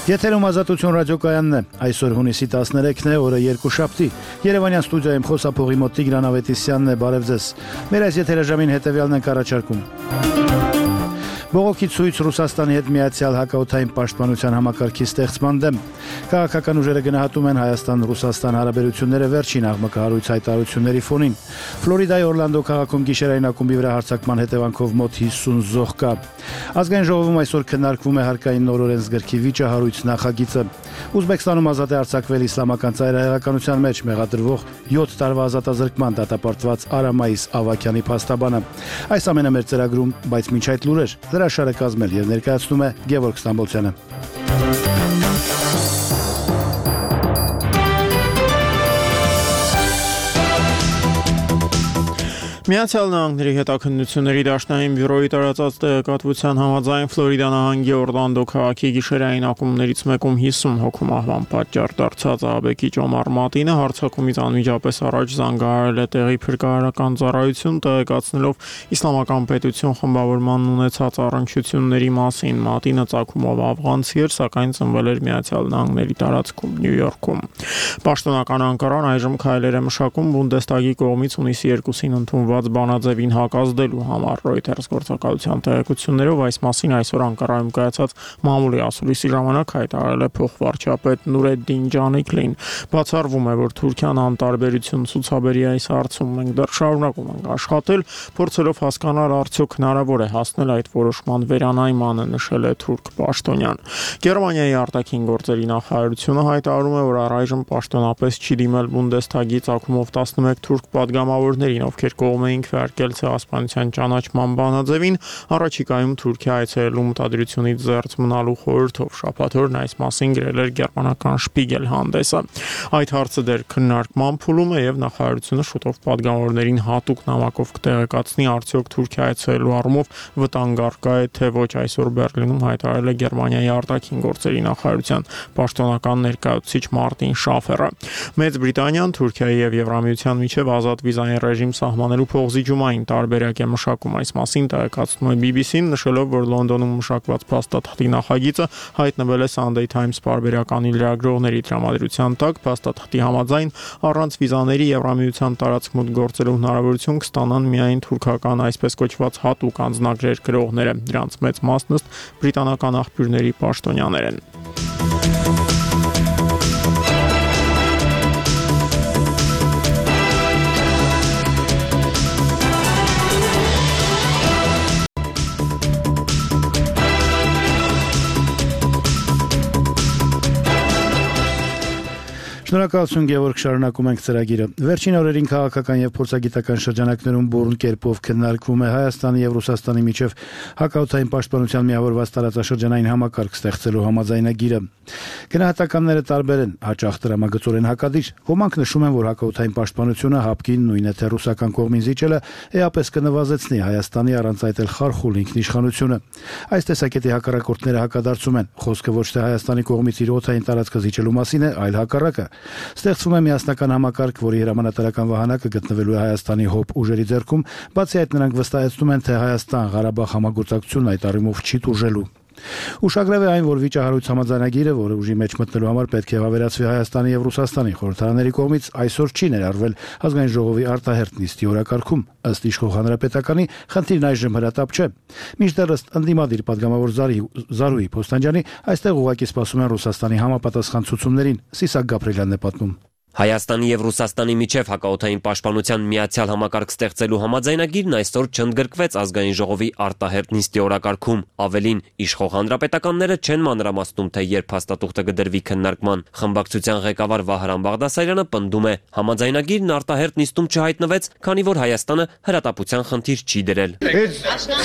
Եթերում Ազատություն ռադիոկայանն է, այսօր հունիսի 13-ն է, օրը երկուշաբթի, Երևանյան ստուդիայում խոսափողի մոտ Տիգրան Ավետիսյանն է, բարև ձեզ, մեր այս եթերաժամին հետևյալն ենք առաջարկում. Բողոքի ցույց Ռուսաստանի հետ միացյալ հակաօդային պաշտպանության համակարգի ստեղծման դեմ. Քաղաքական ուժերը գնահատում են Հայաստան-Ռուսաստան հարաբերությունները վերջին աղմկահարույց հայտարարությունների ֆոնին. Ֆլորիդայի Օրլանդո քաղաքում գիշերային ակումբի վրա հարձակման հետևանքով մոտ 50 զոհ կա. Ազգային ժողովում այսօր քննարկվում է հարկային նոր օրենսգրքի վիճահարույց նախագիծը. Ուզբեկստանում ազատ է արձակվել իսլամական ծայրահեղականության մեջ մեղադրվող 7 տարվա ազատազրկման դատապարտված Արամայիս Ավակյանի փաստաբանը. Այս ամենը մեր ծրագրում, բայց մինչ այդ լուրեր. Հրաշարը կազմել եւ ներկայացնում է Գևորգ Ստամբոլցյանը։ Միացյալ Նահանգների հետաքննությունների դաշնային բյուրոյի տարածած տեղեկատվության համաձայն Ֆլորիդա նահանգի Օրլանդո քաղաքի գիշերային ակումբներից մեկում 50 հոգու մահվան պատճառ դարձած ահաբեկիչ Օմար Մատինը հարձակումից անմիջապես առաջ զանգահարել է տեղի փրկարարական ծառայություն, տեղեկացնելով իսլամական պետություն խմբավորմանն ունեցած առնչությունների մասին։ Մատինը ծագումով աֆղանցի էր, սակայն ծնվել էր Միացյալ Նահանգների տարածքում Նյու Յորքում։ Պաշտոնական Անկարան այժմ քայլեր է մշակում Բունդեստագի կողմից հունիսի 2-ին ընդունված բանաձևին հակազդելու համար։ Reuters գործակալության տեղեկություններով այս մասին այսօր Անկարայում կայացած մամուլի ասուլիսի ժամանակ հայտարարել է փոխվարչապետ Նուրեդդին Ջանիկլին։ Բացառվում է, որ Թուրքիան անտարբերություն ցուցաբերի այս հարցում։ Մենք դեռ շարունակում ենք աշխատել, փորձելով հասկանալ արդյոք հնարավոր է հասնել այդ որոշման վերանայմանը, նշել է թուրք պաշտոնյան։ Գերմանիայի արտաքին գործերի նախարարությունը հայտարարում է, որ առայժմ պաշտոնապես չի դիմել Բունդեստագի ծագումով 11 թուրք падգամավորներին, ովքեր կողմ էին քվեարկել ցեղասպանության ճանաչման բանաձևին, առաջիկայում Թուրքիա այցելելու մտադրությունից զերծ մնալու խորհրդով։ Շաբաթ օրն այս մասին գրել էր գերմանական Շպիգել հանդեսը։ Այդ հարցը դեռ քննարկման փուլում է եւ նախարարությունը շուտով падգամավորներին հատուկ նամակով կտեղեկացնի, արդյոք Թուրքիա այցելելու առումով վտանգ առկա է թե ոչ, այսօր Բերլինում հայտարարել է Գերմանիայի արտաքին գործերի նախարարության պաշտոնական ներկայացուցիչ Մարտին Շաֆերը։ Մեծ Բրիտանիան Թուրքիայի եւ Եվրամիության միջև ազատ վիզային ռեժիմ սահմանելու փոխզիջումային տարբերակ է մշակում։ Այս մասին տեղեկացնում է BBC-ն, նշելով, որ Լոնդոնում մշակված փաստաթղթի նախագիծը հայտնվել է Sunday Times պարբերականի լրագրողների տրամադրության տակ։ Փաստաթղթի համաձայն առանց վիզաների Եվրամիության տարածքմուտք գործելու հնարավորություն կստանան միայն թուրքական այսպես կոչված հատուկ անձնագրեր գրողները։ Դրանց մեծ մասն ըստ բրիտանական աղբյուրների պաշտոնյաներ են։ Շնորհակալություն Գևորգ, շարունակում ենք ծրագիրը։ Վերջին օրերին քաղաքական եւ փորձագիտական շրջանակներում բուրըն կերպով քննարկվում է Հայաստանի եւ Ռուսաստանի միջև հակաօդային պաշտպանության միավորված տարածաշրջանային համակարգ ստեղծելու համաձայնագիրը։ Գնահատականները տարբեր են, հաճախ տրամագծորեն հակադիր։ Ոմանք նշում են, որ հակաօդային պաշտպանությունը հապկին նույնը թե ռուսական կողմին զիջելը էապես կնվազեցնի Հայաստանի առանց այդ էլ խարխուլ ինքնիշխանությունը։ Այս տեսակետի հակառակորդները հակադարձում են։ Խոսքը ոչ թե Հայաստանի կողմից իր օդային տարածքը զիջելու մասին է, այլ հակառակը։ Ստեղծվում է միասնական համակարգ, որի հրամանատարական վահանակը գտնվելու է Հայաստանի հոբ ուժերի ձեռքում, բացի այդ նրանք վստահեցնում են, թե Հայաստան-Ղարաբաղ համագործակցությունն այդ առումով չի տուժելու։ Ուշագրավ է այն, որ վիճահարույց համաձայնագիրը, որը ուժի մեջ մտնելու համար պետք է հավերացվի Հայաստանի եւ Ռուսաստանի խորհրդարանների կողմից, այսօր չի ներառվել Ազգային ժողովի արտահերթ նիստի օրակարգում։ Ըստ իշխող հանրապետականի, խնդիրն այժմ հրատապ չէ։ Մինչդեռ ըստ ընդդիմադիր падգամավոր Զարուհի Փոստանջյանի, այստեղ ուղղակի սպասում են Ռուսաստանի համապատասխան ցուցումներին։ Սիսակ Գաբրելյանն է պատմում։ Հայաստանի եւ Ռուսաստանի միջև հակաօդային պաշտպանության միացյալ համակարգ ստեղծելու համաձայնագիրն այսօր չընդգրկվեց Ազգային ժողովի արտահերթ նիստի օրակարգում։ Ավելին, իշխող հանրապետականները չեն մանրամասնում, թե երբ հաստատուղթը կդրվի քննարկման։ Խմբակցության ղեկավար Վահրամ Բաղդասարյանը պնդում է, համաձայնագիրն արտահերթ նիստում չհայտնվեց, քանի որ Հայաստանը հրատապության խնդիր չի դրել։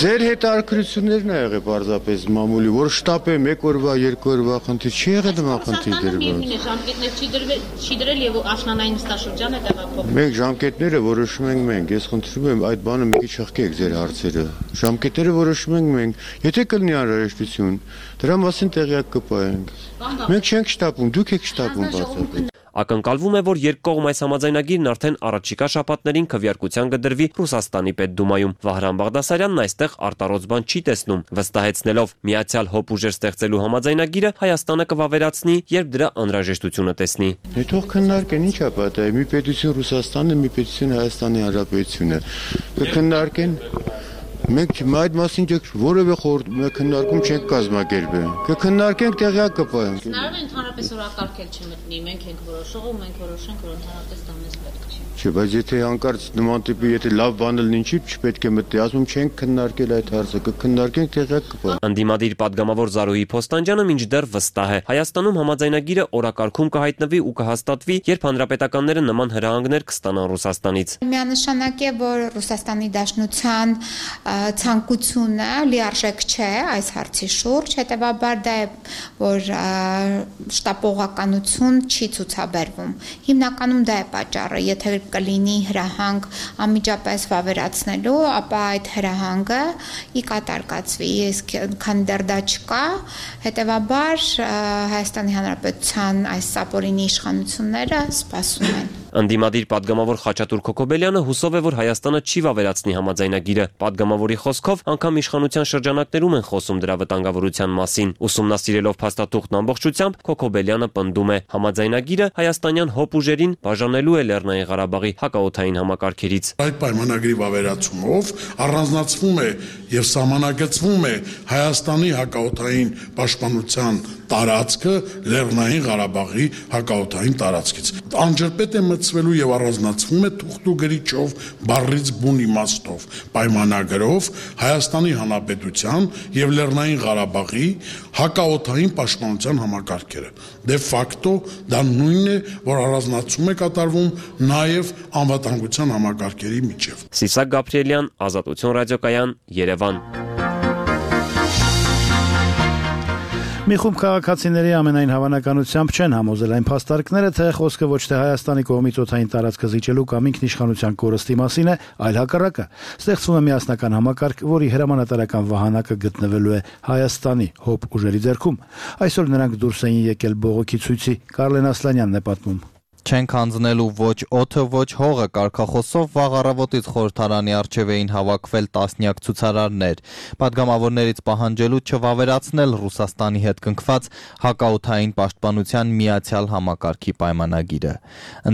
Ձեր հետաքրքրություններն ա եղել պարզապես մամուլի, որ շտապ է 1 օրվա, 2 օրվա խնդիր չի եղել նման խնդիր դրված։ Ժամկետներ չի դրել եւ աշնանային նստաշրջանը տեղափոխվում։ Մենք ժամկետները որոշում ենք մենք, ես խնդրում եմ այդ բանը մի քիչ հղկեք ձեր հարցերը։ Ժամկետները որոշում ենք մենք, եթե կլինի անհրաժեշտություն, դրա մասին տեղյակ կպայենք։ Մենք չենք շտապում, դուք եք շտապում բացապես։ Ակնկալվում է, որ երկկողմ այս համաձայնագիրն արդեն առաջիկա շաբաթներին քվեարկության կդրվի Ռուսաստանի Պետդումայում։ Վահրամ Բաղդասարյանն այստեղ արտառոց բան չի տեսնում, վստահեցնելով միացյալ հոբ ուժեր ստեղծելու համաձայնագիրը Հայաստանը կվավերացնի, երբ դրա անհրաժեշտությունը տեսնի։ Թող քննարկեն, ի՞նչ է պատահի, մի պետություն Ռուսաստանն է, մի պետություն Հայաստանի Հանրապետությունը։ Կքննարկեն։ Մենք այդ մասին որևէ քննարկում չենք կազմակերպել։ Կքննարկենք, տեղյակ կպահենք։ Հնարավոր է ընդհանրապես օրակարգել չմտնի, մենք ենք որոշող ու մենք որոշենք, որ ընդհանրապես դա մեզ պետք չի։ Չէ, բայց եթե հանկարծ նման տիպի եթե լավ բան լինի, չպետք է մտնի, ասում չենք քննարկել այդ հարցը, կքննարկենք, տեղյակ կպահենք։ Անդիմադիր падգամավոր Զարուհի Փոստանջյանը մինչդեռ վստահ է, Հայաստանում համաձայնագիրը օրակարգում կհայտնվի ու կհաստատվի, երբ հանրապետականները նման հրահանգներ կստանան Ռուսաստանից։ Միանշանակ է, որ Ռուսաստանի Դաշնության ցանկությունը լիարժեք չէ այս հարցի շուրջ, հետևաբար դա է, որ շտապողականություն չի ցուցաբերվում։ Հիմնականում դա է պատճառը, եթե կլինի հրահանգ անմիջապես վավերացնելու, ապա այդ հրահանգը ի կատար կացվի, իսկ քանի դեռ դա չկա, հետևաբար Հայաստանի Հանրապետության այս սապորինի իշխանությունները սպասում են։ Անդիմադիր падգամավոր Խաչատուր Քոքոբելյանը հուսով է, որ Հայաստանը չի վավերացնի համաձայնագիրը։ Падգամավորի խոսքով, անգամ իշխանության շրջանակներում են խոսում դրա վտանգավորության մասին։ Ուսումնասիրելով փաստաթուղթն ամբողջությամբ, Քոքոբելյանը պնդում է, համաձայնագիրը հայաստանյան հոբ ուժերին բաժանելու է Լեռնային Ղարաբաղի հակաօդային համակարգերից։ Այդ պայմանագրի վավերացումով առանձնացվում է եւ սահմանագծվում է Հայաստանի հակաօդային պաշտպանության տարածքը Լեռնային Ղարաբաղի հակաօդային տարածքից։ Անջրպետ է մտցվելու եւ առանձնացվում է թուղթու գրիչով, բառից բուն իմաստով, պայմանագրով Հայաստանի Հանրապետության եւ Լեռնային Ղարաբաղի հակաօդային պաշտպանության համակարգերը։ Դե ֆակտո դա նույնն է, որ առանձնացում է կատարվում նաեւ անվտանգության համակարգերի միջև։ Սիսակ Գաբրիելյան, Ազատություն ռադիոկայան, Երևան։ Մի խումբ քաղաքացիների ամենայն հավանականությամբ չեն համոզել այն փաստարկները, թե խոսքը ոչ թե Հայաստանի կողմից օդային տարածքը զիջելու կամ ինքնիշխանության կորստի մասին է, այլ հակառակը։ Ստեղծվում է միասնական համակարգ, որի հրամանատարական վահանակը գտնվելու է Հայաստանի հոբ ուժերի ձեռքում։ Այսօր նրանք դուրս էին եկել բողոքի ցույցի։ Կարլեն Ասլանյանն է պատմում։ Չենք հանձնելու ոչ օդը, ոչ հողը կարգախոսով վաղ առավոտից խորհրդարանի առջև էին հավաքվել տասնյակ ցուցարարներ, падգամավորներից պահանջելու չվավերացնել Ռուսաստանի հետ կնքված հակաօդային պաշտպանության միացյալ համակարգի պայմանագիրը։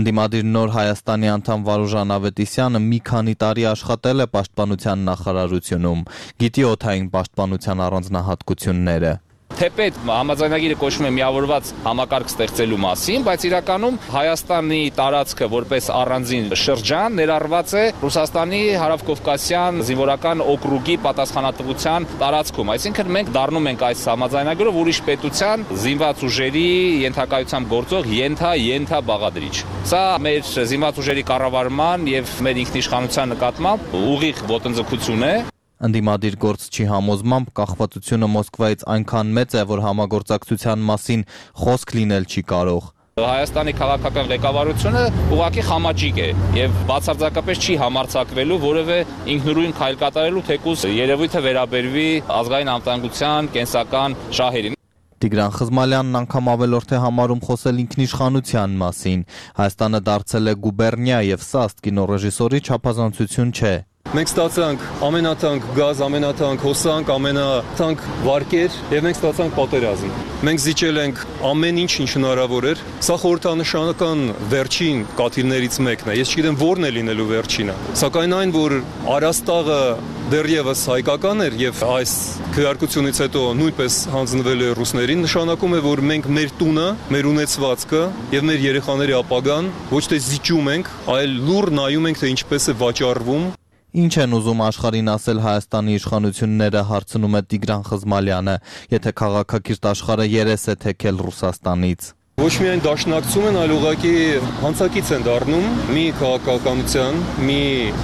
Ընդդիմադիր Նոր Հայաստանի անդամ Վարուժան Ավետիսյանը մի քանի տարի աշխատել է պաշտպանության նախարարությունում, գիտի օդային պաշտպանության առանձնահատկությունները։ Թեպետ համաձայնագիրը կոչվում է միավորված համակարգ ստեղծելու մասին, բայց իրականում Հայաստանի տարածքը որպես առանձին շրջան ներառված է Ռուսաստանի Հարավկովկասյան զինվորական օկրուգի պատասխանատվության տարածքում։ Այսինքն մենք դառնում ենք այս համաձայնագրով ուրիշ պետության զինված ուժերի ենթակայությամբ գործող ենթա բաղադրիչ։ Սա մեր զինված ուժերի կառավարման եւ մեր ինքնիշխանության նկատմամբ ուղիղ ոտնձգություն է։ Ընդդիմադիր գործչի համոզմամբ կախվածությունը Մոսկվայից այնքան մեծ է, որ համագործակցության մասին խոսք լինել չի կարող։ Հայաստանի քաղաքական ղեկավարությունը ուղղակի խամաճիկ է եւ բացարձակապես չի համարձակվելու որևէ ինքնուրույն քայլ կատարելու, թեկուզ երևույթը վերաբերվի ազգային անվտանգության կենսական շահերին։ Տիգրան Խզմալյանն անգամ ավելորդ է համարում խոսել ինքնիշխանության մասին։ Հայաստանը դարձել է գուբերնիա եւ սա ըստ կինոռեժիսորի չափազանցություն չէ։ Մենք ստացանք ամենաթանկ գազ, ամենաթանկ հոսանք, ամենաթանկ վարկեր եւ մենք ստացանք պատերազմ։ Մենք զիջել ենք ամեն ինչ հնարավոր էր։ Սա խորհրդանշական վերջին կաթիլներից մեկն է։ Ես չգիտեմ որն է լինելու վերջինը։ Սակայն այն, որ Արաստաղը դեռևս հայկական էր եւ այս քվեարկությունից հետո նույնպես հանձնվել է ռուսներին, նշանակում է, որ մենք մեր տունը, մեր ունեցվածքը եւ մեր երեխաների ապագան ոչ թե զիջում ենք, այլ լուր նայում ենք, թե ինչպես է վաճառվում։ Ինչ են ուզում աշխարհին ասել Հայաստանի իշխանությունները, հարցնում է Տիգրան Խզմալյանը, եթե քաղաքակիրթ աշխարհը երես է թեքել Ռուսաստանից։ Ոչ միայն դաշնակցում են, այլ ուղղակի հանցակից են դառնում մի քաղաքականության, մի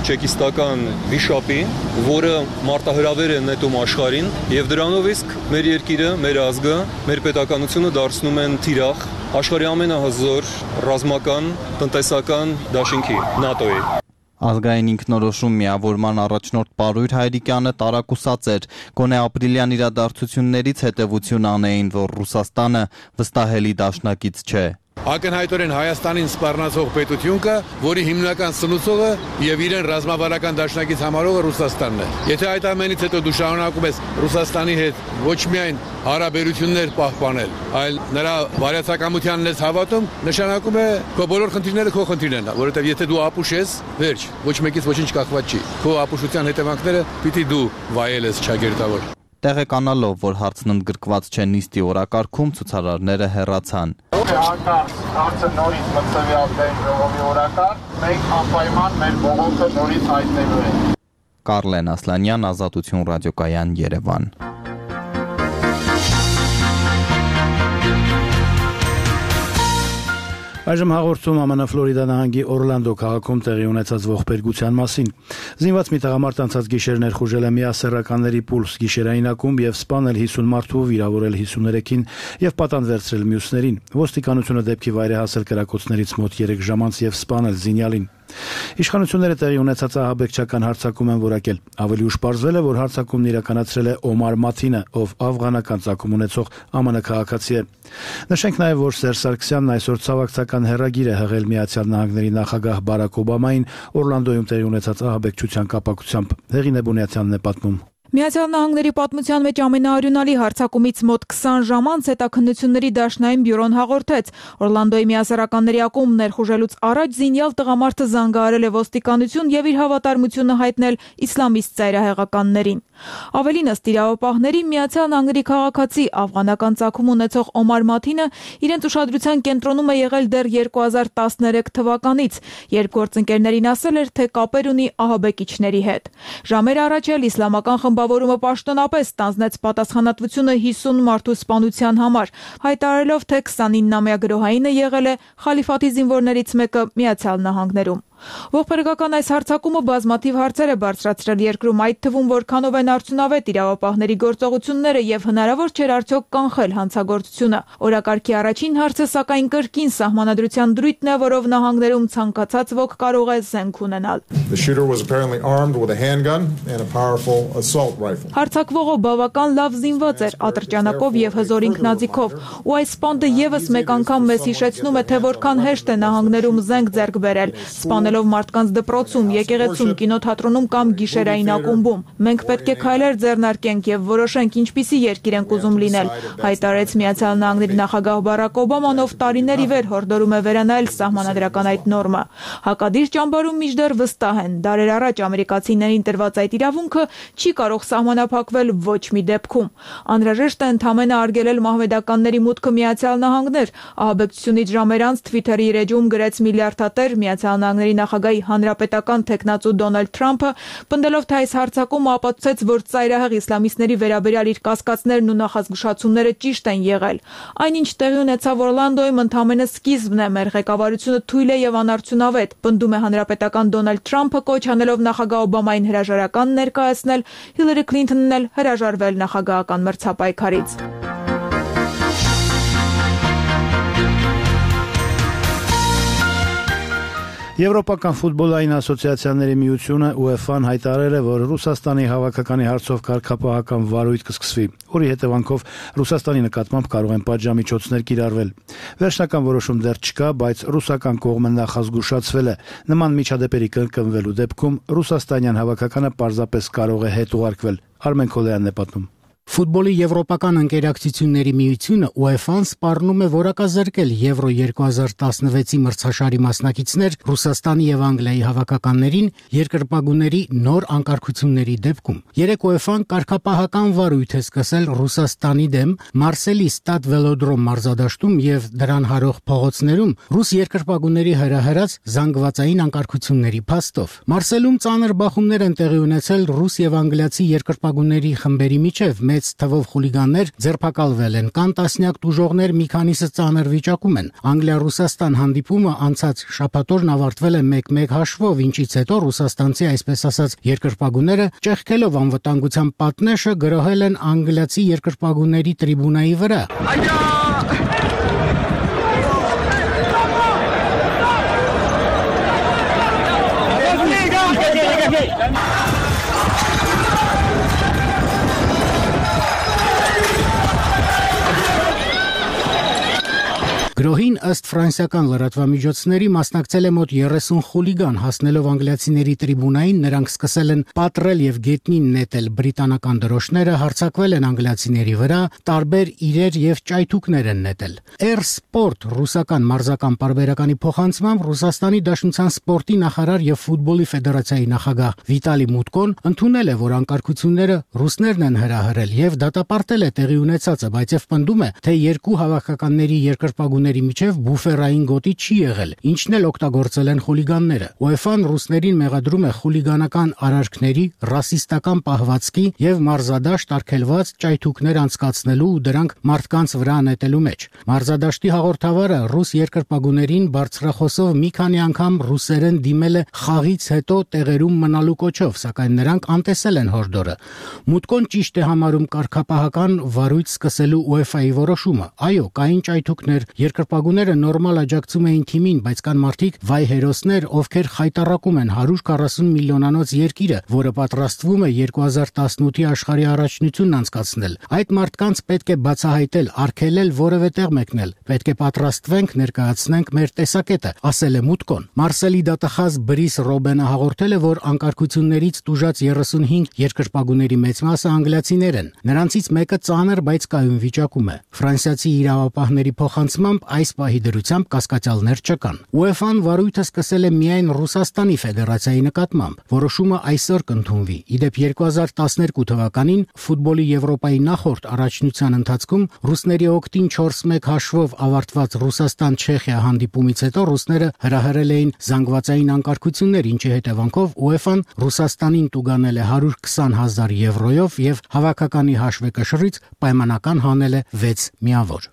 չեկիստական վիշապի, որը մարտահրավեր է նետում աշխարհին, եւ դրանով իսկ մեր երկիրը, մեր ազգը, մեր պետականությունը դարձնում են թիրախ աշխարհի ամենահզոր ռազմական, տնտեսական դաշինքի ՆԱՏՕ-ի։ Ազգային ինքնորոշում միավորման առաջնորդ Պարույր Հայրիկյանը տարակուսած էր, գոնե ապրիլյան իրադարձություններից հետևություն անեին, որ Ռուսաստանը վստահելի դաշնակից չէ։ Ակնհայտորեն Հայաստանին սպառնացող պետություն կա, որի հիմնական սնուցողը եւ իրեն ռազմավարական դաշնակից համարողը Ռուսաստանն է։ Եթե այդ ամենից հետո դու շարունակում ես Ռուսաստանի հետ ոչ միայն հարաբերություններ պահպանել, այլ նրա վարյացակամությանն ես հավատում, նշանակում է քո բոլոր խնդիրները քո խնդիրներն են, որովհետեւ եթե դու ապուշ ես, վերջ, ոչ մեկից ոչինչ կախված չի։ Քո ապուշության հետևանքները պիտի դու վայելես չագերտավոր։ Տեղեկանալով, որ հարցն ընդգրկված չէ նիստի օրակարգում, ցուցարարները հեռացան։ Հարցը նորից մտցվի ազգային ժողովի օրակարգ, մենք անպայման մեր բողոքը նորից հայտնելու ենք։ Կարլեն Ասլանյան, Ազատություն ռադիոկայան, Երևան։ Այժմ հաղորդում ԱՄՆ Ֆլորիդա նահանգի Օրլանդո քաղաքում տեղի ունեցած ողբերգության մասին։ Զինված մի տղամարդ անցած գիշեր ներխուժել է միասեռականների պուլս գիշերային ակումբ եւ սպանել 50 մարդու, վիրավորել 53-ին եւ պատան վերցրել մյուսներին։ Ոստիկանությունը դեպքի վայր է հասել կրակոցներից մոտ 3 ժամ անց եւ սպանել զինյալին։ Իշխանությունները տեղի ունեցած ահաբեկչական հարձակում են որակել։ Ավելի ուշ պարզվել է, որ հարձակումն իրականացրել է Օմար Մաթինը, ով աֆղանական ծագում ունեցող ԱՄՆ քաղաքացի է։ Նշենք նաև, որ Սերժ Սարգսյանն այսօր ցավակցական հեռագիր է հղել Միացյալ Նահանգների նախագահ Բարակ Օբամային Օրլանդոյում տեղի ունեցած ահաբեկչության կապակցությամբ։ Հեղինե Բունյացյանն է պատմում։ Միացյալ Նահանգների պատմության մեջ ամենաարյունալի հարձակումից մոտ 20 ժամ անց հետաքննությունների դաշնային բյուրոն հաղորդեց. Օրլանդոյի միասեռականների ակումբ ներխուժելուց առաջ զինյալ տղամարդը զանգահարել է ոստիկանություն եւ իր հավատարմությունը հայտնել իսլամիստ ծայրահեղականներին։ Ավելին, ըստ իրավապահների, Միացյալ Նահանգների քաղաքացի աֆղանական ծագում ունեցող Օմար Մաթինը իրենց ուշադրության կենտրոնում է եղել դեռ 2013 թվականից, երբ գործընկերներին ասել էր, թե կապեր ունի ահաբեկիչների հետ։ Ժամեր առաջ էլ իսլամական խմբավորումը պաշտոնապես ստանձնեց պատասխանատվությունը 50 մարդու սպանության համար, հայտարարելով, թե 29-ամյա գրոհայինը եղել է խալիֆաթի զինվորներից մեկը Միացյալ Նահանգներում։ Ողբերգական այս հարձակումը բազմաթիվ հարցեր է բարձրացրել երկրում, այդ թվում որքանով են արդյունավետ իրավապահների գործողությունները եւ հնարավոր չէր արդյոք կանխել հանցագործությունը։ Օրակարգի առաջին հարցը սակայն կրկին սահմանադրության դրույթն է, որով նահանգներում ցանկացած ոք կարող է զենք ունենալ։ Հարձակվողը բավական լավ զինված էր, ատրճանակով եւ հզոր ինքնաձիգով, ու այս սպանդը եւս մեկ անգամ մեզ հիշեցնում է, թե որքան հեշտ է նահանգներում զենք ձեռք բերել, սպանելով մարդկանց դպրոցում, եկեղեցում, կինոթատրոնում կամ գիշերային ակումբում։ Մենք պետք է քայլեր ձեռնարկենք եւ որոշենք ինչպիսի երկիր ենք ուզում լինել, հայտարարեց Միացյալ Նահանգների նախագահ Բարակ Օբաման, ով տարիներ ի վեր հորդորում է վերանայել սահմանադրական այդ նորմը։ Հակադիր ճամբարում մինչդեռ վստահ են, դարեր առաջ ամերիկացիներին տրված այդ իրավունքը չի կարող սահմանափակվել ոչ մի դեպքում։ Անհրաժեշտ է ընդհանրապես արգելել մահմեդականների մուտքը Միացյալ Նահանգներ։ Ահաբեկչությունից ժամեր անց Twitter-ի էջում գրեց միլիարդատեր Միացյալ Նահանգների նախագահի հանրապետական թեկնածու Դոնալդ Թրամփը, պնդելով, թե այս հարձակումը ապացուցեց, որ ծայրահեղ իսլամիստների վերաբերյալ իր կասկածներն ու նախազգուշացումները ճիշտ են եղել։ Այնինչ տեղի ունեցավ Օրլանդոյում ընդհանրապես սկիզբն է, մեր ղեկավարությունը թույլ է եւ անարդյունավետ, պնդում է հանրապետական Դոնալդ Թրամփը, կոչ անելով նախագահ Օբամային հրաժարական ներկայացնել, Հիլարի Քլինթոնն էլ հրաժարվել նախագահական մրցապայքարից։ Եվրոպական ֆուտբոլային ասոցիացիաների միությունը UEFA-ն հայտարարել է, որ Ռուսաստանի հավաքականի հարցով կարգապահական վարույթ կսկսվի, որի հետևանքով Ռուսաստանի նկատմամբ կարող են պատժամիջոցներ կիրառվել։ Վերջնական որոշում դեռ չկա, բայց ռուսական կողմը նախազգուշացվել է։ Նման միջադեպերի կրկնվելու դեպքում ռուսաստանյան հավաքականը պարզապես կարող է հետ ուղարկվել։ Արմեն Քոլյանն է պատմում։ Ֆուտբոլի եվրոպական ընկերակցությունների միությունը UEFA-ն սպառնում է որակազրկել Եվրո 2016-ի մրցաշարի մասնակիցներ Ռուսաստանի եւ Անգլիայի հավաքականներին երկրպագուների նոր անկարգությունների դեպքում։ Երեք UEFA-ն կարգապահական վարույթ է սկսել Ռուսաստանի դեմ Մարսելի Ստադ Վելոդրոմ մարզադաշտում եւ դրան հարող փողոցներում ռուս երկրպագուների հրահրած զանգվածային անկարգությունների փաստով։ Մարսելում ծանր բախումներ են տեղի ունեցել ռուս եւ անգլիացի երկրպագուների խմբերի միջև։ Մեծ թվով խուլիգաններ ձերբակալվել են, կան տասնյակ տուժողներ, մի քանիսը ծանր վիճակում են։ Անգլիա-Ռուսաստան հանդիպումը անցած շաբաթօրն ավարտվել է 1-1 հաշվով, ինչից հետո ռուսաստանցի այսպես ասած երկրպագուները ճեղքելով անվտանգության պատնեշը գրոհել են անգլիացի երկրպագուների տրիբունայի վրա։ Գրոհին ըստ ֆրանսիական լրատվամիջոցների մասնակցել է մոտ 30 խուլիգան, հասնելով անգլիացիների տրիբունային, նրանք սկսել են պատռել եւ գետնին նետել բրիտանական դրոշները, հարձակվել են անգլիացիների վրա, տարբեր իրեր եւ ճայթուկներ են նետել։ Air Sport ռուսական մարզական պարբերականի փոխանցմամբ Ռուսաստանի Դաշնության սպորտի նախարար եւ ֆուտբոլի ֆեդերացիայի նախագահ Վիտալի Մուտկոն ընդունել է, որ անկարգությունները ռուսներն են հրահրել եւ դատապարտել է տեղի ունեցածը, բայց եւ պնդում է, թե երկու հավաքականների երկրպագուների միջև բուֆերային գոտի չի եղել, ինչն էլ օգտագործել են խուլիգանները։ UEFA-ն ռուսներին մեղադրում է խուլիգանական արարքների, ռասիստական պահվածքի եւ մարզադաշտ արգելված ճայթուկներ անցկացնելու ու դրանք մարդկանց վրա նետելու մեջ։ Մարզադաշտի հաղորդավարը ռուս երկրպագուներին բարձրախոսով մի քանի անգամ ռուսերեն դիմել է խաղից հետո տեղերում մնալու կոչով, սակայն նրանք անտեսել են հորդորը։ Մուտկոն ճիշտ է համարում կարգապահական վարույց սկսելու UEFA-ի որոշումը։ Այո, կային ճայթուկներ, երկրպագուները նորմալ աջակցում էին թիմին, բայց կան մարդիկ վայ հերոսներ, ովքեր խայտառակում են 140 միլիոնանոց երկիրը, որը պատրաստվում է 2018-ի աշխարհի առաջնությունն անցկացնել։ Այդ մարդկանց պետք է բացահայտել, արգելել որևէ տեղ մեկնել։ Պետք է պատրաստվենք, ներկայացնենք մեր տեսակետը, ասել է Մուտկոն։ Մարսելի դատախազ Բրիս Ռոբենը հաղորդել է, որ անկարգություններից տուժած 35 երկրպագուների մեծ մասը անգլիացիներ են։ Նրանցից մեկը ծանր, բայց կայուն վիճակում է։ Ֆրանսիացի իրավապահների փոխանցմամբ այս պահի դրությամբ կասկածյալներ չկան։ UEFA-ն վարույթը սկսել է միայն Ռուսաստանի Ֆեդերացիայի նկատմամբ։ Որոշումը այսօր կընդունվի։ Իդեպ 2012 թվականին ֆուտբոլի Եվրոպայի նախորդ առաջնության ընթացքում ռուսների օգտին 4-1 հաշվով ավարտված Ռուսաստան-Չեխիա հանդիպումից հետո ռուսները հրահրել էին զանգվածային անկարգություններ, ինչի հետևանքով UEFA-ն Ռուսաստանին տուգանել է 120,000 եվրոյով եւ հավաքականի հաշվեկշռից պայմանական հանել է 6 միավոր։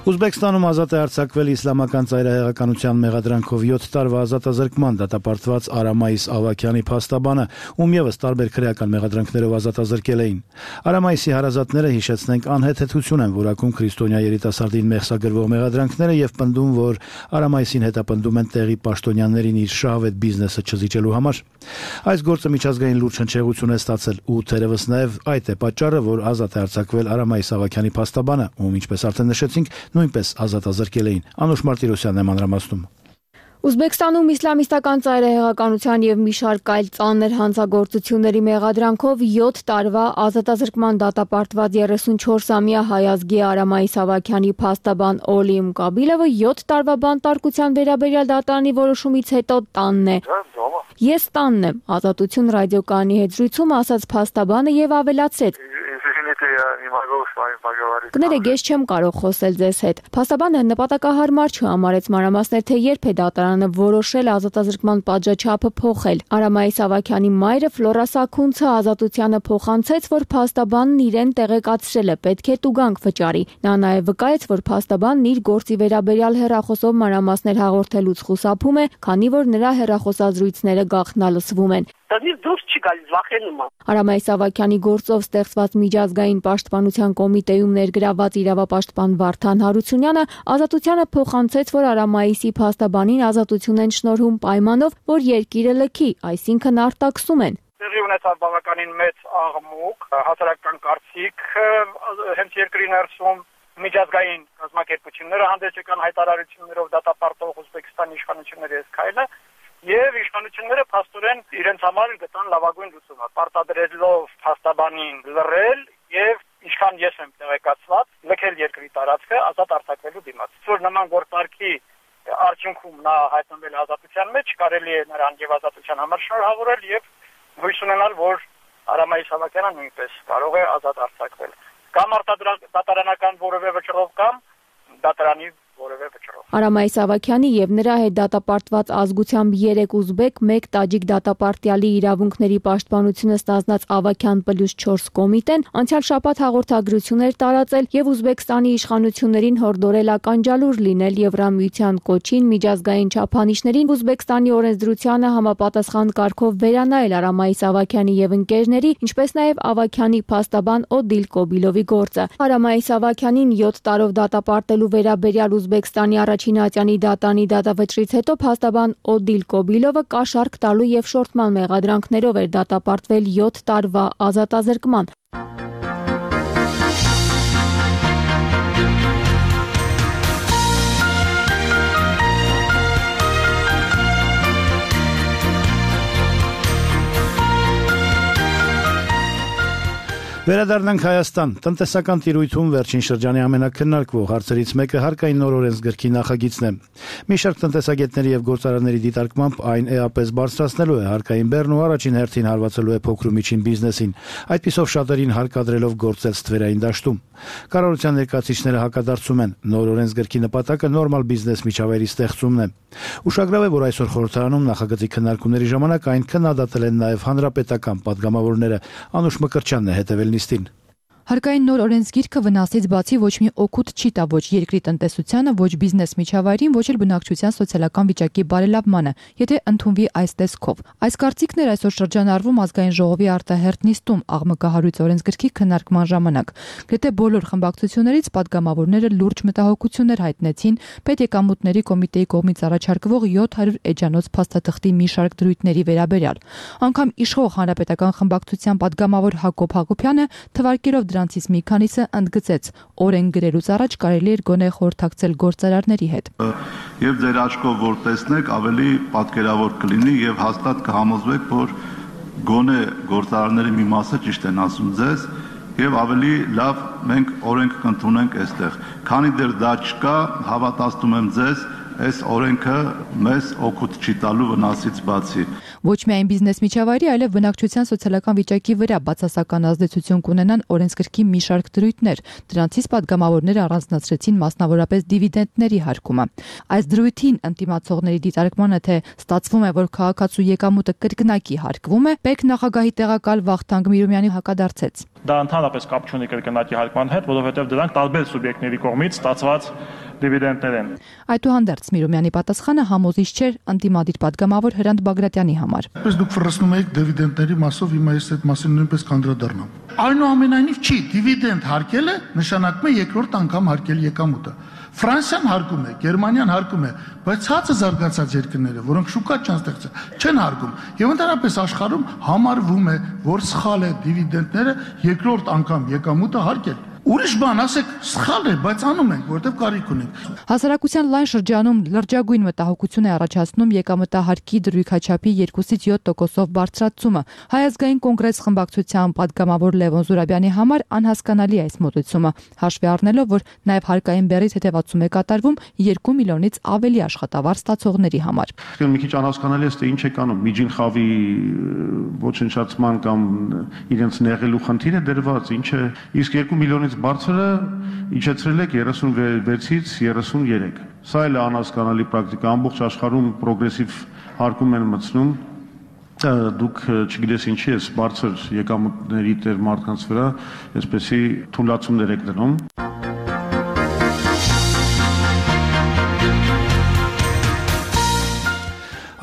Ուզբեկստանում ազատ է արձակվել իսլամական ծայրահեղականության մեղադրանքով 7 տարվա ազատազրկման դատապարտված Արամայիս Ավաքյանի փաստաբանը, ում ևս տարբեր քրեական մեղադրանքներով ազատազրկել էին։ Արամայիսի հարազատները, հիշեցնենք, անհեթեթություն են որակում քրիստոնյա երիտասարդին մեղսագրվող մեղադրանքները եւ պնդում, որ Արամայիսին հետապնդում են տեղի պաշտոնյաներին իր շահավետ բիզնեսը չզիջելու համար։ Այս գործը միջազգային լուրջ հնչեղություն է ստացել ու թերևս նաեւ այդ է պատճառը, որ ազատ է արձակվել Արամայիս Ավաքյանի փաստաբանը, ում ինչպես արդեն նշեցինք, նույնպես ազատազրկել էին։ Անուշ Մարտիրոսյանն է մանրամասնում։ Ուզբեկստանում իսլամիստական ծայրահեղականության եւ մի շարք այլ ծանր հանցագործությունների մեղադրանքով 7 տարվա ազատազրկման դատապարտված 34-ամյա հայազգի Արամայիս Ավաքյանի փաստաբան Օլիմ Կաբիլովը 7 տարվա բանտարկության վերաբերյալ դատարանի որոշումից հետո տանն է։ Ես տանն եմ, Ազատություն ռադիոկայանի հետ զրույցում ասաց փաստաբանը եւ ավելացրեց. Կներեք, ես չեմ կարող խոսել ձեզ հետ։ Փաստաբանը նպատակահարմար չհամարեց մանրամասներ, թե երբ է դատարանը որոշել ազատազրկման պատժաչափը փոխել։ Արամայիս Ավաքյանի մայրը Ֆլորա Սաքունցը Ազատությանը փոխանցեց, որ փաստաբանն իրեն տեղեկացրել է, պետք է տուգանք վճարի։ Նա նաև վկայեց, որ փաստաբանն իր գործի վերաբերյալ հեռախոսով մանրամասներ հաղորդելուց խուսափում է, քանի որ նրա հեռախոսազրույցները գաղտնալսվում են։ Արամայիս Ավաքյանի գործով ստեղծված միջազգային պաշտպանության կոմիտեում ներգրաված իրավապաշտպան Վարդան Հարությունյանը Ազատությանը փոխանցեց, որ Արամայիսի փաստաբանին ազատություն են շնորհում պայմանով, որ երկիրը լքի, այսինքն արտաքսում են։ Տեղի ունեցավ բավականին մեծ աղմուկ, հասարակական կարծիք հենց երկրի ներսում միջազգային կազմակերպությունները հանդես եկան հայտարարություններով դատապարտող Ուզբեկստանի իշխանությունների այս քայլը եւ իշխանությունները փաստորեն իրենց համար գտան լավագույն լուծումը պարտադրելով փաստաբանին լռել եւ ինչքան ես եմ տեղեկացված լքել երկրի տարածքը ազատ արձակվելու դիմաց որ նման գործարքի արդյունքում նա հայտնվել ազատության մեջ կարելի է նրան եւ ազատության համար շնորհավորել եւ հույս ունենալ որ Արամայիս Ավաքյանը նույնպես կարող է ազատ արձակվել կամ դատարանական որևէ վճռով կամ դատարանի որևէ վճռով Արամայիս Ավաքյանի եւ նրա հետ դատապարտված ազգությամբ 3 ուզբեկ, 1 տաջիկ դատապարտյալի իրավունքների պաշտպանությունը ստանձնած Ավաքյան +4 կոմիտեն անցյալ շաբաթ հաղորդագրություն էր տարածել եւ Ուզբեկստանի իշխանություններին հորդորել ականջալուր լինել Եվրամիության կոչին միջազգային չափանիշներին Ուզբեկստանի օրենսդրությանը համապատասխան կարգով վերանայել Արամայիս Ավաքյանի եւ ընկերների, ինչպես նաեւ Ավաքյանի փաստաբան Օդիլ Կոբիլովի գործը։ Արամայիս Ավաքյանին 7 տարով դատապարտելու վերաբերյալ Ուզբեկստանի Չինատյանի դատանի դատավճռից հետո փաստաբան Օդիլ Կոբիլովը կաշառք տալու եւ շորթման մեղադրանքներով էր դատապարտվել 7 տարվա ազատազրկման։ Վերադառնանք Հայաստան։ Տնտեսական տիրույթում վերջին շրջանի ամենակննարկվող հարցերից մեկը հարկային նոր օրենսգրքի նախագիծն է։ Մի շարք տնտեսագետների եւ գործարանների դիտարկմամբ այն էապես բարձրացնելու է հարկային բեռն ու առաջին հերթին հարվածելու է փոքր ու միջին բիզնեսին, այդպիսով շատերին հարկադրելով գործել ստվերային դաշտում։ Կառավարության ներկայացուցիչները հակադարձում են, նոր օրենսգրքի նպատակը նորմալ բիզնես միջավայրի ստեղծումն է։ Ուշագրավ է, որ այսօր խորհրդարանում նախագծի քննարկումների ժամանակ այն քննադատել են նաև հանրապետական падգամավորները։ Անուշ Մկրտչյանն է հետևել նիստին։ Հարկային նոր օրենսգիրքը վնասից բացի ոչ մի օգուտ չի տա ոչ երկրի տնտեսությանը, ոչ բիզնես միջավայրին, ոչ էլ բնակչության սոցիալական վիճակի բարելավմանը, եթե ընդունվի այս տեսքով։ Այս կարծիքն էր այսօր շրջանառվում ազգային ժողովի արտահերթ նիստում աղմկահարույց օրենսգրքի քննարկման ժամանակ։ Գրեթե բոլոր խմբակցություններից падգամավորները լուրջ մտահոգություններ հայտնեցին պետեկամուտների կոմիտեի կողմից առաջարկվող 700 էջանոց փաստաթղթի մի շարք դրույթների վերաբերյալ։ Անգամ իշխող հանրապետական խմբակցության падգամավոր Հակոբ Հակոբյանը թվարկելով դրանցից մի քանիսը ընդգծեց, օրենք գրելուց առաջ կարելի էր գոնե խորհրդակցել գործարարների հետ։ Եվ ձեր աչքով որ տեսնեք, ավելի պատկերավոր կլինի եւ հաստատ կհամոզվեք, որ գոնե գործարարների մի մասը ճիշտ են ասում ձեզ եւ ավելի լավ մենք օրենք կընդունենք այստեղ։ Քանի դեռ դա չկա, հավատացնում եմ ձեզ, այս օրենքը մեզ օգուտ չի տալու վնասից բացի։ Ոչ միայն բիզնես միջավայրի, այլև բնակչության սոցիալական վիճակի վրա բացասական ազդեցություն կունենան օրենսգրքի մի շարք դրույթներ։ Դրանցից падգամավորները առանձնացրեցին մասնավորապես դիվիդենդների հարկումը։ Այս դրույթին ընդդիմացողների դիտարկմանը, թե ստացվում է, որ քաղաքացու եկամուտը կրկնակի հարկվում է, ՊԵԿ նախագահի տեղակալ Վախթանգ Միրումյանի հակադարձեց։ Դա ընդհանրապես կապ չունի կրկնակի հարկման հետ, որովհետև դրանք տարբեր սուբյեկտների կողմից ստացված դիվիդենդներ են։ Այդուհանդերձ Միրումյանի պատասխանը համոզիչ չէր ընդդիմադիր падգամավոր Հրանտ Բագրատյանի համար։ Պես դուք ֆռսնում եք դիվիդենդների մասով, հիմա ես այդ մասին նույնպես կանդրադառնամ։ Այնուամենայնիվ չի, դիվիդենդ հարկելը նշանակում է երկրորդ անգամ հարկել եկամուտը։ Ֆրանսիան հարկում է, Գերմանիան հարկում է, բայց ցածր զարգացած երկրները, որոնք շուկա չեն ստեղծել, չեն հարկում։ Եվ ընդհանրապես աշխարհում համարվում է, որ սխալ է դիվիդենդները երկրորդ անգամ եկամուտը հարկել։ Ուրիշ բան ասեք, սխալ է, բայց անում ենք, որտեվ կարիք ունենք։ Հասարակության լայն շրջանում լրջագույն մտահոգություն է առաջացնում եկամտահարկի դրույքաչափի 2-ից 7%-ով բարձրացումը։ Հայ ազգային կոնգրես խմբակցության падգամավոր Լևոն Զուրաբյանի համար անհասկանալի է այս մոտեցումը, հաշվի առնելով, որ նաև հարկային բեռից հետևացում է կատարվում 2 միլիոնից ավելի աշխատավարձ ստացողների համար։ Մի քիչ անհասկանալի է, թե ինչ է կանում, միջին խավի ոչնչացման կամ իրենց նեղելու խնդիր է դրված, ինչ է, իսկ 2 միլիոնից բարձրը իջեցրել եք 36-ից 33։ Սա էլ է անհասկանալի պրակտիկա, ամբողջ աշխարհում պրոգրեսիվ հարկում են մտցնում, դուք չգիտես ինչի է բարձր եկամուտների տեր մարդկանց վրա, այսպեսի թույլատումներ եք դնում։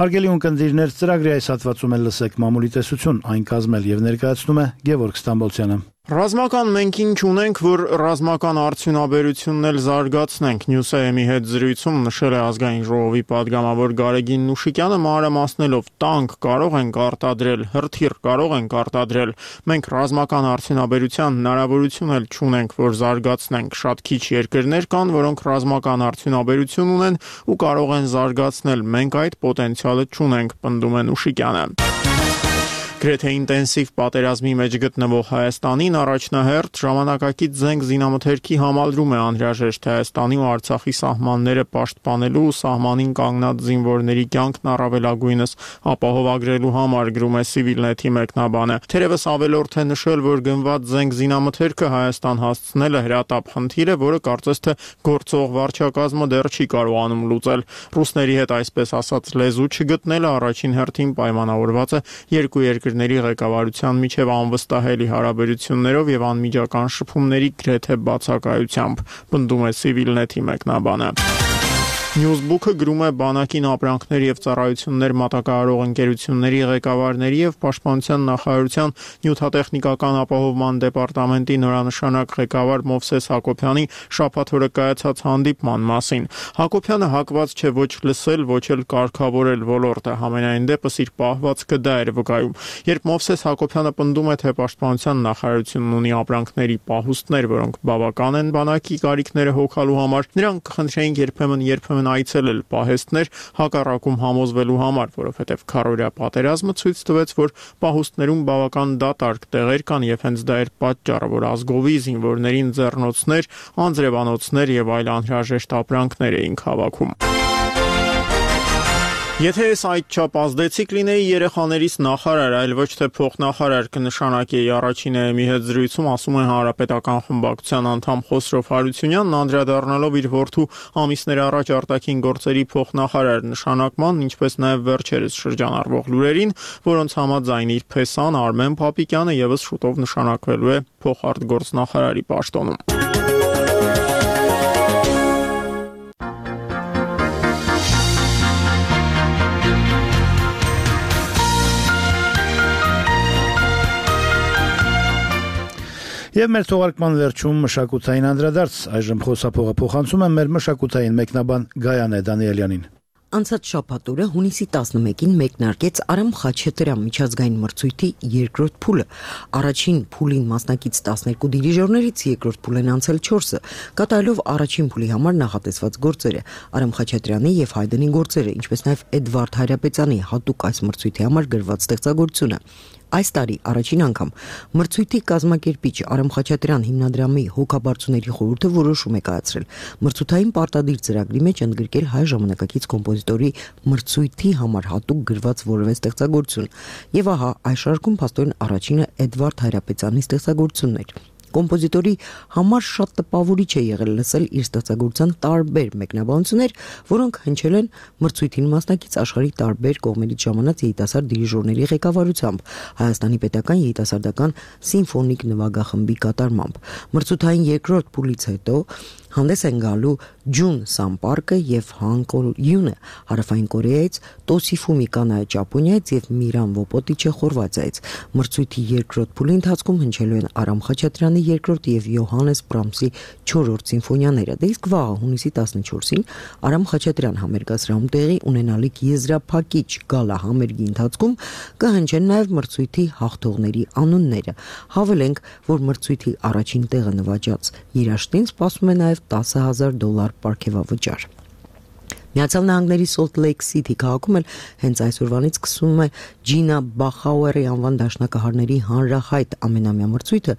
Հարգելի ունկնդիրներ, ծրագրի այս հատվածում էլ լսեք մամուլի տեսություն, այն կազմել եւ ներկայացնում է Գևորգ Ստամբոլցյանը։ Ռազմական մենք ինչ ունենք, որ ռազմական արդյունաբերությունն էլ զարգացնենք։ Նյուսայեմի հետ զրույցում նշել է ազգային ժողովի падգամավոր Գարեգին Նուշիկյանը, մանրամասնելով տանկ կարող ենք արտադրել, հրթիռ կարող ենք արտադրել։ Մենք ռազմական արդյունաբերության հնարավորություն էլ չունենք, որ զարգացնենք։ Շատ քիչ երկրներ կան, որոնք ռազմական արդյունաբերություն ունեն ու կարող են զարգացնել։ Մենք այդ պոտենցիալը չունենք, պնդում է Նուշիկյանը։ Գրեթե ինտենսիվ պատերազմի մեջ գտնվող Հայաստանին առաջնահերթ ժամանակակից զենք զինամթերքի համալրում է անհրաժեշտ Հայաստանի ու Արցախի սահմանները պաշտպանելու ու սահմանին կանգնած զինվորների կյանքն առավելագույնս ապահովագրելու համար, գրում է Civilnet-ի մեկնաբանը։ Թերևս ավելորդ է նշել, որ գնված զենք զինամթերքը Հայաստան հասցնելը հրատապ խնդիր է, որը կարծես թե գործող վարչակազմը դեռ չի կարողանում լուծել։ Ռուսների հետ այսպես ասած լեզու չգտնելը առաջին հերթին պայմանավորված է երկու երկրների ղեկավարության միջև անվստահելի հարաբերություններով եւ անմիջական շփումների գրեթե բացակայությամբ, պնդում է Civilnet-ի մեկնաբանը։ Newsbook-ը գրում է բանակին ապրանքներ եւ ծառայություններ մատակարարող ընկերությունների ղեկավարների եւ Պաշտպանության նախարարության նյութատեխնիկական ապահովման դեպարտամենտի նորանշանակ ղեկավար Մովսես Հակոբյանի շաբաթ օրը կայացած հանդիպման մասին։ Հակոբյանը հակված չէ ոչ լսել, ոչ էլ կարգավորել ոլորտը, համենայն դեպս իր պահվածքը դա էր վկայում։ Երբ Մովսես Հակոբյանը պնդում է, թե Պաշտպանության նախարարությունն ունի ապրանքների պահուստներ, որոնք բավական են բանակի կարիքները հոգալու համար, նրանք կխնդրեին երբեմն այցելել պահեստներ հակառակում համոզվելու համար, որովհետև քարորյա պատերազմը ցույց տվեց, որ պահուստներում բավական դատարկ տեղեր կան եւ հենց դա էր պատճառը, որ ազգովի զինվորներին ձեռնոցներ, անձրևանոցներ եւ այլ անհրաժեշտ ապրանքներ էինք հավաքում։ Եթե ես այդչափ ազդեցիկ լինեի երեխաներիս նախարար, այլ ոչ թե փոխնախարար կնշանակեի առաջինը մի հետ զրույցում, ասում է Հանրապետական խմբակցության անդամ Խոսրով Հարությունյանն, անդրադառնալով իր որդու ամիսներ առաջ արտաքին գործերի փոխնախարար նշանակման, ինչպես նաև վերջերս շրջանառվող լուրերին, որոնց համաձայն իր փեսան Արմեն Փապիկյանը եւս շուտով նշանակվելու է փոխարտգործնախարարի պաշտոնում։ Եվ մեր թողարկման վերջում մշակութային անդրադարձ, այժմ խոսափողը փոխանցում եմ մեր մշակութային մեկնաբան Գայանե Դանիելյանին։ Անցած շաբաթօրը հունիսի 11-ին մեկնարկեց Արամ Խաչատրյան միջազգային մրցույթի երկրորդ փուլը։ Առաջին փուլին մասնակից 12 դիրիժորներից երկրորդ փուլ են անցել 4-ը, կատարելով առաջին փուլի համար նախատեսված գործերը։ Արամ Խաչատրյանի եւ Հայդենի գործերը, ինչպես նաեւ Էդվարդ Հայրապետյանի հատուկ այս մրցույթի համար գրված ստեղծագործությունը։ Այս տարի առաջին անգամ մրցույթի կազմակերպիչ Արամ Խաչատրյան հիմնադրամի հոգաբարձուների խորհուրդը որոշում է կայացրել մրցութային պարտադիր ծրագրի մեջ ընդգրկել հայ ժամանակակից կոմպոզիտորի մրցույթի համար հատուկ գրված որևէ ստեղծագործություն։ Եվ ահա այս շարքում փաստորեն առաջինը Էդվարդ Հայրապետյանի ստեղծագործությունն էր։ Կոմպոզիտորի համար շատ տպավորիչ է եղել լսել իր ստեղծագործության տարբեր մեկնաբանություններ, որոնք հնչել են մրցույթին մասնակից աշխարհի տարբեր կողմերից ժամանած երիտասարդ դիրիժորների ղեկավարությամբ, Հայաստանի պետական երիտասարդական սիմֆոնիկ նվագախմբի կատարմամբ։ Մրցութային երկրորդ փուլից հետո հանդես են գալու Ջուն Սամպարկը եւ Հանկոլ Յունը Հարավային Կորեայից, Տոսիֆումի կանայը Ճապոնիայից եւ Միրան Վոպոտիչը Խորվաթիայից։ Մրցույթի երկրորդ փուլի ընթացքում հնչելու են Արամ Խաչատրյանի երկրորդ եւ Յոհաննես Բրամսի 4-րդ սիմֆոնիաները։ Դե իսկ վաղը հունիսի 14-ին Արամ Խաչատրյան համերգասրահում տեղի ունենալիք եզրափակիչ գալա համերգի ընթացքում կհնչեն նաեւ մրցույթի հաղթողների անունները։ Հավելենք, որ մրցույթի առաջին տեղը նվաճած երաժշտին սպասում է նաեւ $10,000 պարգևավճար։ Միացյալ Նահանգների Salt Lake City քաղաքում էլ հենց այսօրվանից սկսվում է Ջինա Բախաուերի անվան դաշնակահարների հանրահայտ ամենամյա մրցույթը,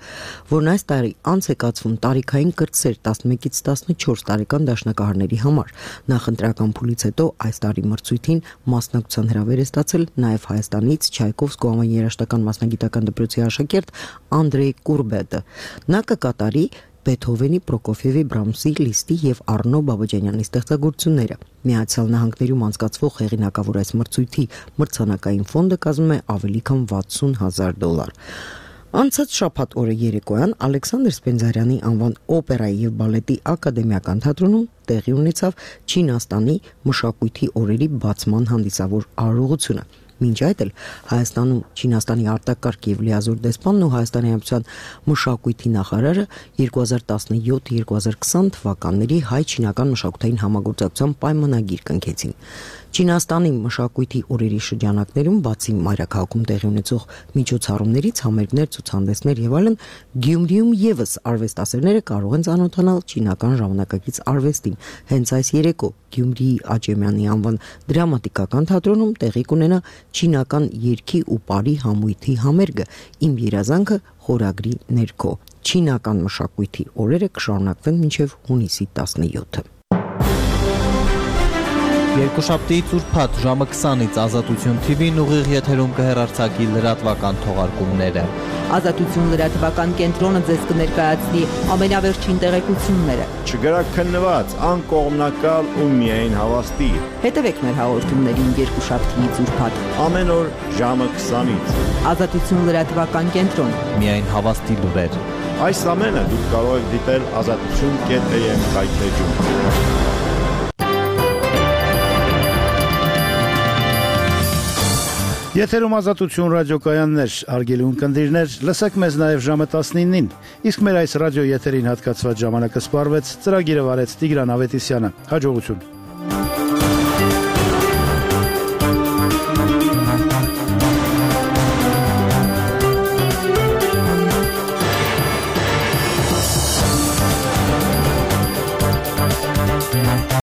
որն այս տարի անց է կացվում տարիքային կրտսեր 11-ից 14 տարեկան դաշնակահարների համար։ Նախընտրական փուլից հետո այս տարի մրցույթին մասնակցության հրավեր է ստացել նաև Հայաստանից Չայկովսկու անվան երաժշտական մասնագիտական դպրոցի աշակերտ Անդրեյ Կուրբետը։ Նա կկատարի Բեթհովենի, Պրոկոֆիևի, Բրամսի, Լիստի եւ Արնո Բաբաջանյանի ստեղծագործությունները։ Միացյալ Նահանգներում անցկացվող հեղինակավոր այս մրցույթի մրցանակային ֆոնդը կազմում է ավելի քան $60,000։ Անցած շաբաթ օրը երեկոյան Ալեքսանդր Սպենդիարյանի անվան օպերայի եւ բալետի ակադեմիական թատրոնում տեղի ունեցավ Չինաստանի մշակույթի օրերի բացման հանդիսավոր արարողությունը։ Մինչ այդ էլ Հայաստանում Չինաստանի արտակարգ եւ լիազոր դեսպանն ու Հայաստանի Հանրապետության մշակույթի նախարարը 2017-2020 թվականների հայ-չինական մշակութային համագործակցության պայմանագիր կնքեցին։ Չինաստանի մշակույթի օրերի շրջանակներում բացի մայրաքաղաքում տեղի ունեցող միջոցառումներից, համերգներ, ցուցահանդեսներ եւ այլն, Գյումրիում եւս արվեստասերները կարող են ծանոթանալ չինական ժամանակակից արվեստին։ Հենց այս երեկո Գյումրիի Աճեմյանի անվան դրամատիկական թատրոնում տեղի կունենա չինական երգի ու պարի համույթի համերգը «Իմ երազանքը» խորագրի ներքո։ Չինական մշակույթի օրերը կշարունակվեն մինչև հունիսի 17-ը։ Երկուշաբթիից ուրբաթ ժամը 20-ից Ազատություն TV-ն ուղիղ եթերում կհեռարձակի լրատվական թողարկումները։ Ազատություն լրատվական կենտրոնը ձեզ կներկայացնի ամենավերջին տեղեկությունները։ Չգրաքննված, անկողմնակալ ու միայն հավաստի։ Հետևեք մեր հաղորդումներին երկուշաբթիից ուրբաթ ամեն օր ժամը 20-ից։ Ազատություն լրատվական կենտրոն։ Միայն հավաստի լուրեր։ Այս ամենը դուք կարող եք դիտել azatutun.am կայքեջում։ Եթերում Ազատություն ռադիոկայաններ, հարգելի ունկնդիրներ, լսեք մեզ նաև ժամը 19-ին, իսկ մեր այս ռադիո եթերին հատկացված ժամանակը սպառվեց, ծրագիրը վարեց Տիգրան Ավետիսյանը, հաջողություն։